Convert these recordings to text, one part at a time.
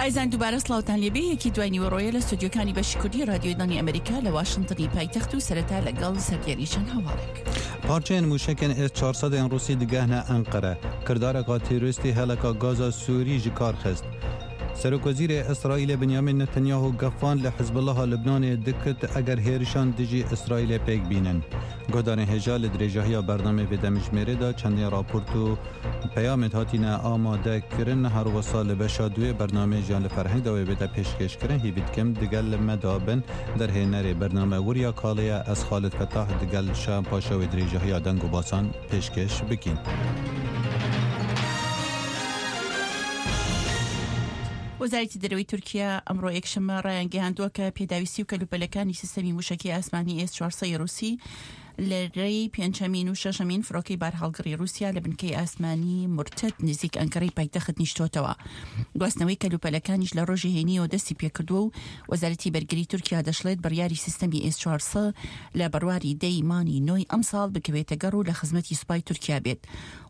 ئایزان دووبارە سڵاوتان لێبێ یەکی دوای نیوەڕۆیە لە ستۆدیۆکانی بەشی کوردی رادیۆی دەنگی ئەمریکا لە واشنتنی پایتەخت و سەرەتا لەگەڵ سەردێری چەند هەواڵێک. پارچەیên mûşekên S 400 ên Rûsî digehne Enqere. Kirdareka terorîstî heleka gaza Sûrî ji kar xist. Serokwezîrê Îsraîlê Binyamîn Netanyahu gefan li Hizbullaha Libnanê dikit eger hêrişan dijî Îsraîlê pêk bînin. Guhdarên hêja li dirêjahiya bernameyê vê demijmêrê de çendên raport û peyamên hatine amade kirin her wisa li beşa duê bernameyê jiyan li ferheng de wê bête pêşkêşkirin hîvî dikim digel me de bin derhênerê bername Wurya Kalê ye ez Xalid Fetah digel Şayan Paşa wê dirêjahiya deng û basan pêşkêş bikîn. وەزارەتی دەرەوەی تورکیا ئەمڕۆ یەکشەممە ڕایانگەیاندووە کە پێداویستی و کەلوپەلەکانی سیستەمی مووشەکی ئاسمانی ئێس 400 ڕووسی لە رێی پێنجەمین و شەشەمین فڕۆکەی بارهەڵگڕی ڕووسیا لە بنکەی ئاسمانی مورتەد نزیک ئەنکەرەی پایتەخت نیشتۆتەوە. گواستنەوەی کەلوپەلەکانیش لە ڕۆژی هەینیەوە دەستی پێکردووە و وەزارەتی بەرگری تورکیا دەشڵێت بڕیاری سیستەمی ئێس 400 لە بەرواری دەی مانگی نۆی ئەمساڵ بکەوێتە گەڕ و لە خزمەتی سوپای تورکیا بێت.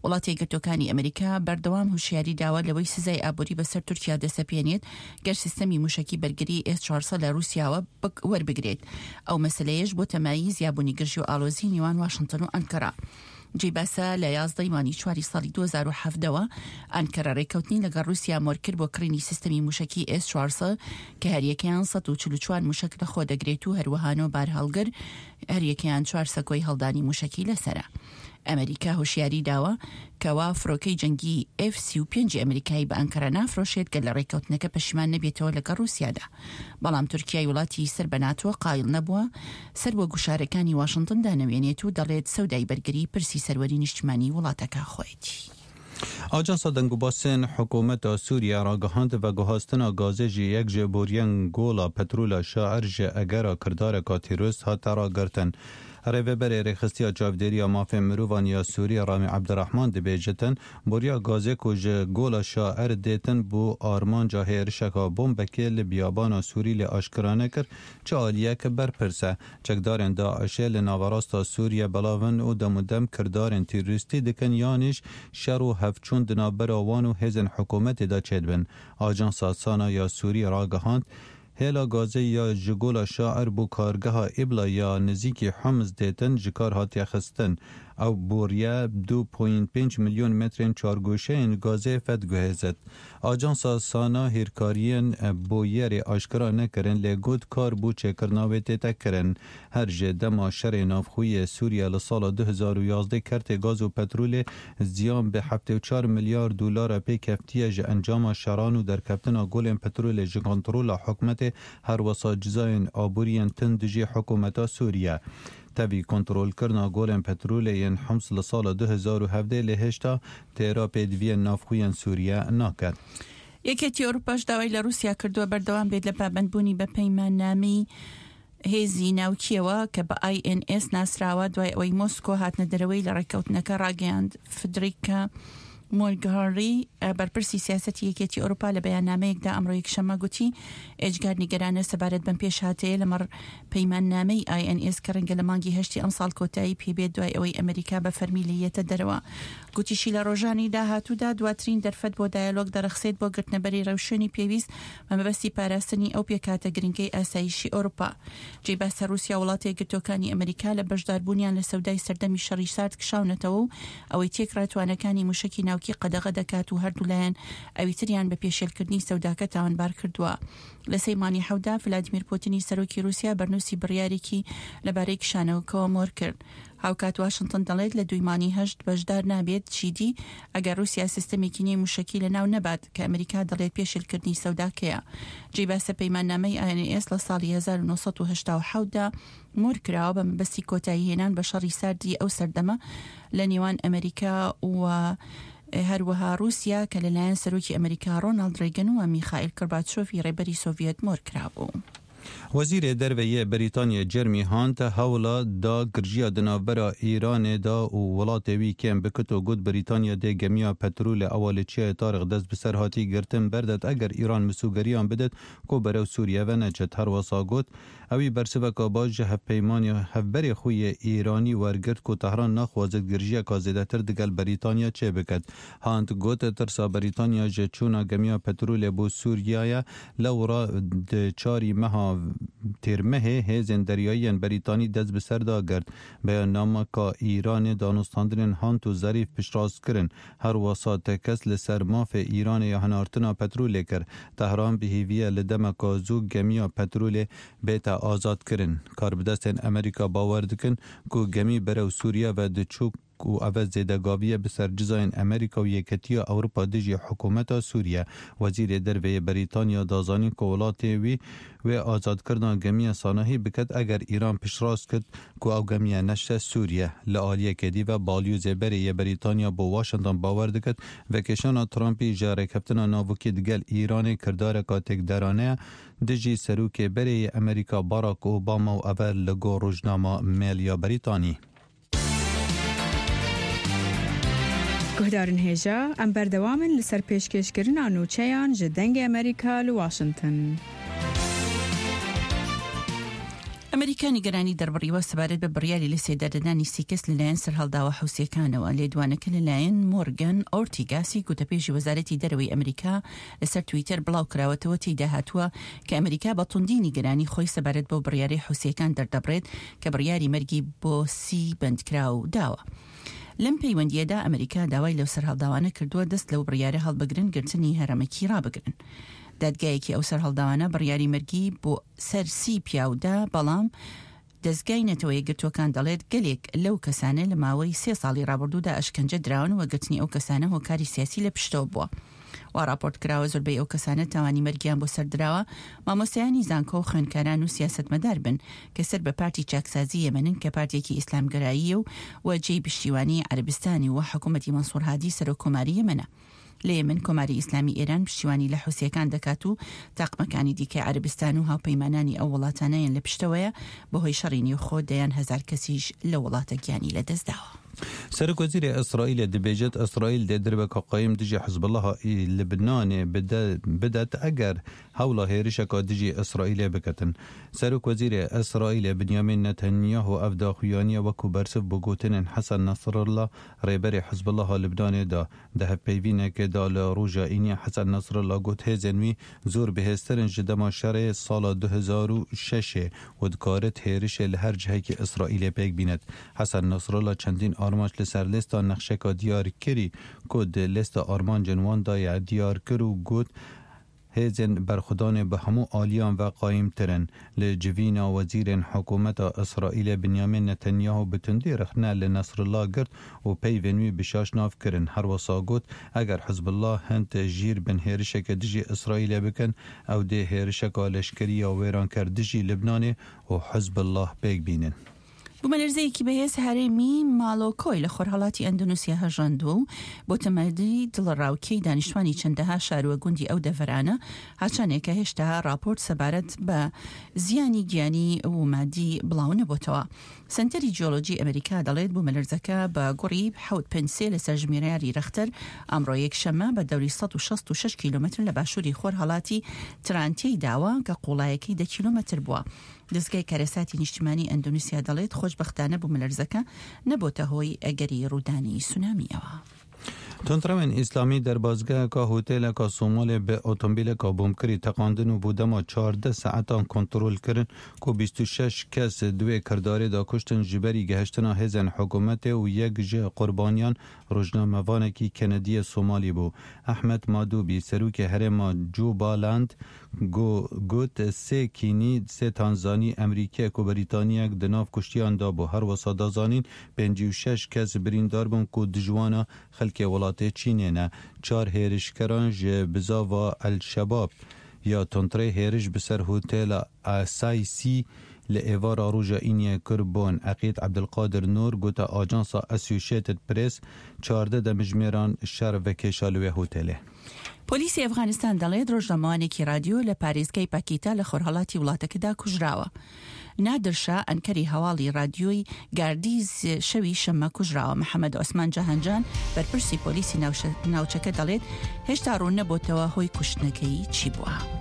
وڵاتە یەکگرتووەکانی ئەمریکا بەردەوام هوشیاری داوە لەوەی سزای ئابووری بەسەر تورکیا دەسەپێنێت گەر سیستەمی موشەکی بەرگری ئێس 400 لە رووسیاوە وەربگرێت. ئەو مەسەلەیەش بۆتە مایەی زیابوونی گرژی و ئاڵۆزی نێوان واشنتن و ئەنکەرە. جێی باسە لە 11 مانگی چواری ساڵی 2017 ەوە ئەنکەرە رێککەوتنی لەگەڵ رووسیا مۆرکرد بۆ کڕینی سیستەمی موشەکی ئێس 400 کە هەریەکەیان 144 موشەک لەخۆ دەگرێت و هەروەها نۆ بارهەڵگر هەریەکەیان چوار سەکۆی هەڵدانی موشەکی لەسەرە. ئەمریکا هۆشیاری داوە کەوا فرۆکەی جەنگی ئێف 35 ئەمریکایی بە ئەنکەرە نافرۆشێت گەر لە ڕێککەوتنەکە پەشیمان نەبێتەوە لەگەڵ ڕووسیادا. بەڵام تورکیای وڵاتی سەر بە ناتۆ قایڵ نەبووە سەر بۆ گوشارەکانی واشنتن دانەوێنێت و دەڵێت سەودای بەرگری پرسی سەروەری نیشتمانی وڵاتەکە خۆیەتی. ئاژانسا دەنگوباسên hikûmeta Sûriye ragihand veguhastina gazê ji yek ji boriyên gola petrola Şair ji egera kirdareka terorist hate ragirtin. Rêveberê Rêxistiya Çavdêriya Mafên Mirovan ya Sûrî Ramî Ebdurehman dibêjitin, Boriya gazê ku ji Gola Şair dêtin bû armanca hêrişeka bombekê li biyabana Sûrî lê aşkera nekir çi aliyek berpirs e. Çekdarên DAIŞ'ê li naverasta Sûriye belav in û demûdem kirdarên terorîstî dikin yanîş şer û hevçûn di navbera wan û hêzên hikûmetê de çêdibin. Ajansa Sana ya Sûrî ragihand, Hêla gazê ya ji Gola Şair bo kargeha Îbla ya nizîkî Humis dêtin ji kar hatiye xistin. Ew boriye 2.5 milyon metrên çargoşeyên gazê vediguhêzit. Ajansa Sana hîrkariyên bûyerê aşkera nekirin lê got kar bo çêkirina wê tête kirin. Her ji dema şerê navxweyî yê Sûriye li sala 2011 kertê gaz û petrolê ziyan bi 74 milyar dolara pê keftiye ji encama şeran û derkeftina golên petrolê ji kontrola hikûmetê her wisa cizayên aborî yên tund dijî hikûmeta Sûriye. Tevî kontrolkirina golên petrolê yên Hums li sala 2017 lê hêşta têra pêdiviyên navxwe yên Sûriye nake. یەکێتی ئەوروپاش داوای لە ڕووسیا کردووە بەردەوام بێت لە پابەندبوونی بە پەیماننامەی هێزی ناوکییەوە کە بە INS ناسراوە دوای ئەوەی مۆسکۆ هاتنە دەرەوەی لە ڕێککەوتنەکە ڕاگەیاند. فدریکا مۆرگهاری بەرپرسی سیاسەتی یەکێتی ئەوروپا لە بەیاننامەیەکدا ئەمڕۆ یەکشەممە گوتی ئێجگار نیگەرانە سەبارەت بەم پێشهاتەیە لەمەڕ پەیماننامەی INS کە ڕەنگە لە مانگی هەشتی ئەمساڵ کۆتایی پێبێت دوای ئەوەی ئەمریکا بە فەرمی لێی یەتە دەرەوە. گوتیشی لە ڕۆژانی داهاتوودا دواترین دەرفەت بۆ دایەلۆگ دەڕەخسێت بۆ گرتنەبەری ڕێوشوێنی پێویست بە مەبەستی پاراستنی ئەو پێکهاتە گرنگەی ئاسایشی ئەوروپا. جێی باسە ڕووسیا و وڵاتە یەکگرتووەکانی ئەمریکا لە بەشداربوونیان لە سەودای سەردەمی شەڕی سارد کشاونەتەوە و ئەوەی تێکڕا توانەکانی موشەکی ناوکی قەدەغە دەکات و هەردوولایان ئەویتریان بە پێشێلکردنی سەوداکە تاوانبار کردووە. لە سێی مانگی حەوتدا ڤلادیمیر پوتینی سەرۆکی ڕووسیا بەرنووسی بڕیارێکی لەبارەی کشانەوەکەوە مۆر کرد. هاوکات واشنتن دەڵێت لە دووی مانگی هەشت بەشدار نابێت چیدی ئەگەر ڕووسیا سیستەمێکی نوێی موشەکی لەناو نەبات کە ئەمریکا دەڵێت پێشێلکردنی سەوداکەیە. جێی باسە پەیماننامەی INS لە ساڵی 1987 دا مۆر کراوە بە مەبەستی کۆتایی هێنان بە شەڕی ساردی ئەو سەردەمە لە نێوان ئەمریکا و هەروەها ڕووسیا کە لەلایەن سەرۆکی ئەمریکا ڕۆناڵد ڕیگن و میخائیل کۆرباچۆفی ڕێبەری سۆڤیەت مۆر کرابوو. Wezîrê Derve yê Brîtanya Jeremy Hunt hewla da girjiya di navbera Îranê de û welatê wî kêm bikit û got Brîtanya dê gemiya petrolê ewa li Çiyayê Tariq dest bi ser hatî girtin berdet eger Îran misûgeriyan bidet ku berew Sûriye ve neçit. Herwesa got, Ewî bersiveka baş ji hevpeymanê hevberê xwe yê Îranî wergirt ku Tehran naxwazit girjiyeka zêdetir digel Brîtanya çêbiket. Hunt got, Tirsa Brîtanya ji çûna gemiya petrolê bo Sûriye ye, lewra di çarî meha Têrmehê hêzên deryayî yên Brîtanî dest bi ser de girt. Beyannameka Îranê danûstandinên Hunt û Zerîf piştrast kirin. Her wisa tekez li ser mafê Îranê ya hinartina petrolê kir. Tehran bi hêvî ye li demeka zû gemiya petrolê bête azadkirin. Karbidestên Amerîka bawer dikin ku gemî berew Sûriye ve diçû ku eve zêdegavî ye bi ser cizayên Amerîka û Yeketiya Ewropa dijî hikûmeta Sûriye. Wezîrê Derve yê Brîtanya da zanîn ku welatê wî wê azadkirina gemiya sanahî biket eger Îran piştrast kir ku ew gemiya neşte Sûriye. Li aliyekê dî ve balyozê berê yê Brîtanya bo Washington bawer diket vekêşana Trumpî ji rêkeftina navokî digel Îranê kirdareka têkderane ye dijî serokê berê yê Amerîka Barack Obama û eve li gor rojnama Mail ya Brîtanî. Guhdarên hêja, em berdewam in li ser pêşkêşkirina nûçeyan ji Dengê Amerîka li Washington. ئەمریکا نیگەرانی دەربڕیوە سەبارەت بە بڕیاری لە سێدارەدانی سی کەس لەلایەن سەرهەڵداوە حوسییەکانەوە. لێدوانەکە لەلایەن مۆرگان ئۆرتیگاسی گوتەبێژی وەزارەتی دەرەوەی ئەمریکا لەسەر تویتەر بڵاوکراوەتەوە، تێیدا هاتووە کە ئەمریکا بە توندی نیگەرانی خۆی سەبارەت بەو بڕیارەی حوسییەکان دەردەبڕێت کە بڕیاری مەرگی بۆ سی بەندکراو داوە. لەم پەیوەندییەدا ئەمریکا داوای لەو سەرهەڵداوانە کردووە دەست لەو بڕیارە هەڵبگرن گرتنی هەرەمەکی ڕابگرن. دادگایەکی ئەو سەرهەڵداوانە بڕیاری مەرگی بۆ سەر سی پیاو دا، بەڵام دەزگای نەتەوە یەکگرتووەکان دەڵێت گەلێک لەو کەسانە لە ماوەی سێ ساڵی ڕابردوودا ئەشکەنجە دراون و گرتنی ئەو کەسانە هۆکاری سیاسی لە پشتەوە بووە. وا ڕاپۆرت کراوە زۆربەی ئەو کەسانە تاوانی مەرگیان بۆ سەر دراوە مامۆستایانی زانکۆ و خوێندکاران و سیاسەتمەدار بن کە سەر بە پارتی چاکسازی یەمەنن کە پارتێکی ئیسلامگەراییە و و جێی پشتیوانی عەرەبستانی و حکوومەتی مەنسوور هادی سەرۆک کۆماری یەمەنە. لە یەمەن کۆماری ئیسلامی ئێران پشتیوانی لە حوسییەکان دەکات و تاقمەکانی دیکەی عەرەبستان و هاوپەیمانانی ئەو وڵاتانەیان لە پشتەوەیە، بەهۆی شەڕی نێوخۆ دەیان هەزار کەسیش لەو وڵاتە گیانی لەدەستداوە. سەرۆک وەزیرێ ئیسرائیلێ دبێژێت ئیسرائیل دێ دربەکا قایم دژی حزبوڵڵاها لبنانێ بدەت ئەگەر هەوڵا هێرشەکا دژی ئیسرائیلێ بکەتن. سەرۆک وەزیرێ ئیسرائیلێ بنیامین نەتەنیاهۆ ئەڤ داخویانیە وەکوو بەرسڤ بۆ گۆتنێن حەسەن نەسرڵڵا رێبەرێ حزبوڵڵاها لبنانێ دا. Di hevpeyvînekê de li roja Îniyê Hesen Nasrallah got hêzên wî zor bihêztir in ji dema şerê sala 2006 ê û dikarit hêrişê li her cihekî Îsraîlê pêk bînet. Hesen Nasrallah çendîn armanc li ser lêsta nexşeka diyar kirî ku di lêsta armancên wan de ye diyar kir û got, Hêzên berxwedanê bi hemû aliyan ve qayîmtir in. Li civîna wezîrên hikûmeta Îsraîlê Binyamîn Netanyahu bi tundî rexne li Nasrullah girt û peyvên wî bi şaş nav kirin. Her wisa got, Eger Hizbullah hind jîr bin hêrişeke dijî Îsraîlê bikin, ew dê hêrişeka leşkerî ya wêranker dijî Libnanê û Hizbullah pêk bînin. بوومەلەرزەیەکی بەهێز هەرێمی مالۆکۆی لە خۆرهەڵاتی ئەندۆنیسیا هەژاندووە و بۆتە مایەی دڵەڕاوکێی دانیشتوانی چەندەها شار و گوندی ئەو دەڤەرانە، هاچانێکە هێشتا ڕاپۆرت سەبارەت بە زیانی گیانی و مادی بڵاو نەبۆتەوە. سەنتەری جیۆلۆجی ئەمریکا دەڵێت بوومەلەرزەکە بە گوڕی حەوت پێنج سێ لەسەر ژمێریاری رەختەر ئەمڕۆ یەکشەممە بە دەوری 166 کیلۆمەتر لە باشووری خۆرهەڵاتی ترانتێی داوە کە قوڵایەکەی دە کیلۆمەتر بووە. دەزگای کارەساتی نیشتیمانی ئەندۆنیسیا دەڵێت، خۆشبەختانە بوومەلەرزەکە نەبۆتە هۆی ئەگەری ڕوودانی سونامییەوە. توندڕەوێن ئیسلامی دەربازگەیەکا هۆتێلەکا سۆمالێ bi otomobîleka bomkirî teqandin û bo dema 14 saetan kontrol kirin ku 26 kes di wê kirdarê de kuştin ji berî gehiştina hêzên hikûmetê û yek ji qurbaniyan rojnamevanekî Kenediyê Somalî bû. Ehmed Madûbî serokê herêma Jubaland Got, Sê Kînî, sê Tanzanî, Emrîkiyek û Brîtaniyek di nav kuştiyan de bû. Her wisa da zanîn 56 kes birîndar bûn ku di ji wan xelkê welatê Çînê ne. Çar hêrişkeran ji bizava El Şebab ya Tuntrê hêriş bi ser hotela Asaysî. لە ئێڤارا ڕۆژا ئینیە کربوون. عەقید عەبدولقادر نور گوتە ئاژانسا ئەسۆشێتد پرێس، 14 دەمژمێران شەڕ ڤکێشا لە وێ هۆتێلێ. پۆلیسی ئەفغانستان دەڵێت ڕۆژنامەوانێکی ڕادیۆ لە پارێزگای پاکیتا لە خۆرهەڵاتی وڵاتەکەدا کوژراوە. نادر شا ئەنکەری هەواڵی ڕادیۆی گاردیز شەوی شەممە کوژراوە. محەمەد عوسمان جەهانجان بەرپرسی پۆلیسی ناوچەکە دەڵێت هێشتا ڕوون نەبۆتەوە هۆی کوشتنەکەی چی بووە.